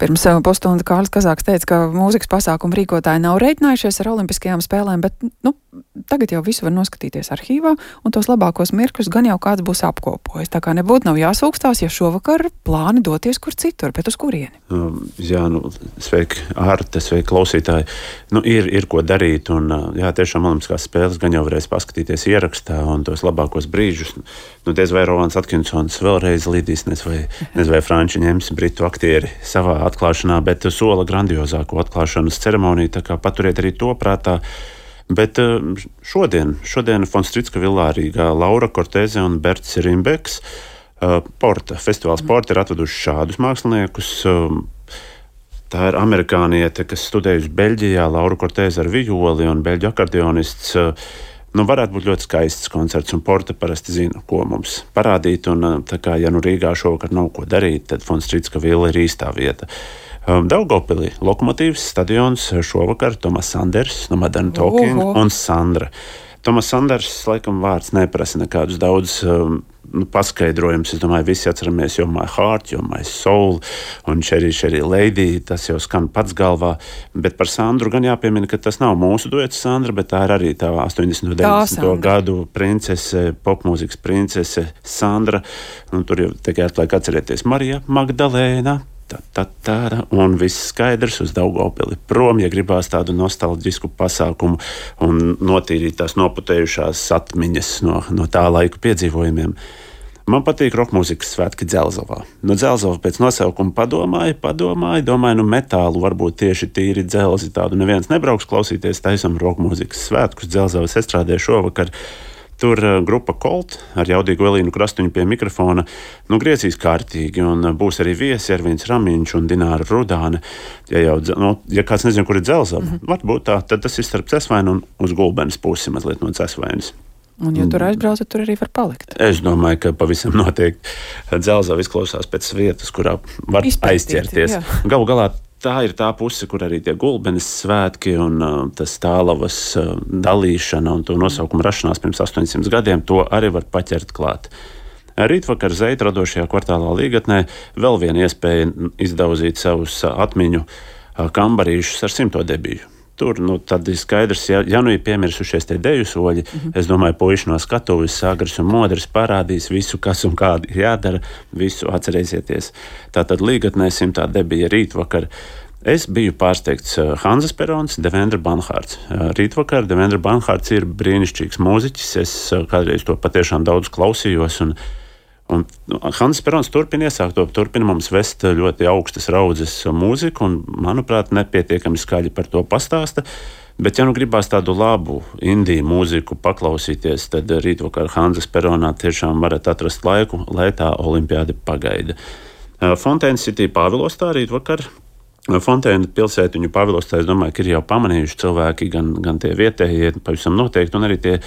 Pirms pusstunda Kārlis Kazāks teica, ka mūzikas pasākumu rīkotāji nav reiķinājušies ar olimpiskajām spēlēm, bet tagad jau visu var noskatīties arhīvā, un tos labākos mirkļus gan jau kāds būs apkopojis. Tā kā nebūtu nav jāsūkstās, ja šovakar plāni doties kur citur, bet uz kurieni? Sveiki, Ārte, sveiki, klausītāji. Ir ko darīt, un tiešām olimpiskās spēles gan jau varēs paskatīties ierakstā, un tos labākos brīžus. Diez vai Rolands Atkinsons vēlreiz lidīs, nezinu vai franči ņems britu aktieri savā atklāšanā, bet sola grandiozāko atklāšanas ceremoniju, tā kā paturiet arī to prātā. Bet šodien Fonstricka villā Rīgā Laura Korteze un Berts Rimbeks festivāls Porta ir atveduši šādus māksliniekus. Tā ir amerikāniete, kas studējusi Beļģijā, Laura Korteze ar violi un beļģu akordeonists. Varētu būt ļoti skaists koncerts, un Porta parasti zina, ko mums parādīt. Un, tā kā, ja Rīgā šovakar nav ko darīt, tad Fonstricka villa ir īstā vieta. Daugavpilī Lokomotīvs stadions šovakar Tomas Sanders no Modern Talking un Sandra. Tomas Sanders, laikam, vārds neprasa nekādus daudz paskaidrojumus. Es domāju, visi atceramies You're My Heart, You're My Soul un Cherry Lady. Tas jau skan pats galvā. Bet par Sandru gan jāpiemina, ka tas nav mūsu duets Sandra, bet tā ir arī tā 80. un 90. gadu princese, popmūzikas princese Sandra. Tur jau tikai atliek atcerēties Marija Magdalēna. Un viss skaidrs uz Daugavpili prom, ja gribās tādu nostalģisku pasākumu un notīrīt tās noputējušās atmiņas no tā laika piedzīvojumiem. Man patīk rokmūzikas svētki Dzelzavā. Dzelzava pēc nosaukuma domāju, metālu varbūt tieši tīri dzelzi tādu neviens nebrauks klausīties, taisam rokmūzikas svētkus Dzelzavas estrādē šovakar. Tur grupa Colt ar jaudīgu Elīnu Krastuņu pie mikrofona griezīs kārtīgi, un būs arī viesi Ervīns Ramiņš un Dināra Rudāne. Ja kāds nezina, kur ir Dzelzava, varbūt tā, tad tas ir starp Cesvainu un uz Gulbenes pusi mazliet no Cesvainas. Un, ja tur aizbraucat, tur arī var palikt. Es domāju, ka pavisam noteikti Dzelzava izklausās pēc vietas, kurā var aizķerties. Galu galā tā ir tā puse, kur arī tie Gulbenes svētki un tas Tālavas dalīšana un to nosaukumu rašanās pirms 800 gadiem, to arī var paķert klāt. Rītvakar Zeita radošajā kvartālā Līgatnē vēl viena iespēja izdauzīt savus atmiņu kambarīšus ar 100. debiju. Tur tad ir skaidrs, ja ir piemirsušies tie deju soļi, es domāju, puiši no skatuves, Sagars un Modris parādīs visu, kas un kādi ir jādara, visu atcerēsieties. Tātad Līgatnē 100. debija rītvakar. Es biju pārsteigts Hanzas Perons, Devendra Banhārds. Rītvakar Devendra Banhārds ir brīnišķīgs mūziķis, es kādreiz to patiešām daudz klausījos, un Hanzas Perons turpina mums vest ļoti augstas raudzes mūziku, un, manuprāt, nepietiekami skaļi par to pastāsta. Bet, ja gribās tādu labu indiju mūziku paklausīties, tad rītvakar Hanzas Peronā tiešām varat atrast laiku, lai tā olimpiāde pagaida. Fontēna City Pāvilostā rītvakar. Fontēna pilsētiņu Pāvilostā, es domāju, ka ir jau pamanījuši cilvēki, gan tie vietējie, pavisam noteikti, un arī tie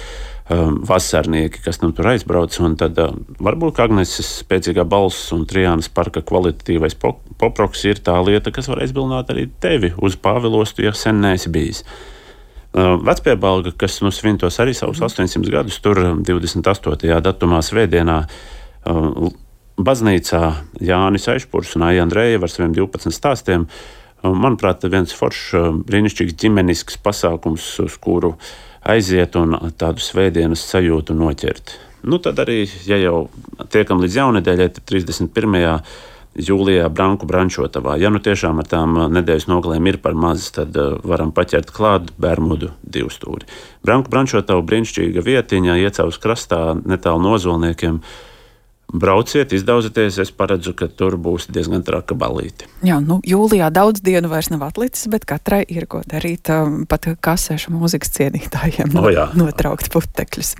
vasarnieki, kas tur aizbrauc. Un tad varbūt Agneses spēcīgā balss un Trijānas parka kvalitatīvais poproks ir tā lieta, kas var aizbilināt arī tevi uz Pāvilostu, ja sen neesi bijis. Vecpiebalga, kas svintos arī savus 800 gadus, tur 28. datumā svētdienā baznīcā Jānis Aišpurs un Aija Andrejeva ar saviem 12 stāstiem. Manuprāt, viens foršs, brīnišķīgs ģimenisks pasākums, uz kuru aiziet un tādu svētdienas sajūtu noķert. Tad arī, ja jau tiekam līdz jaunedēļai, tad 31. jūlijā Branku Brančotavā. Ja tiešām ar tām nedēļas nogalēm ir par maz, tad varam paķert klāt Bermudu 2 stūri. Branku Brančotava brīnišķīga vietiņa, Iecavas krastā, netālu no Ozolniekiem. Brauciet, izdaudzieties, es paredzu, ka tur būs diezgan traka balīti. Jā, jūlijā daudz dienu vairs nav atlicis, bet katrai ir ko darīt, pat kasēšu mūzikas cienītājiem notraukt putekļus.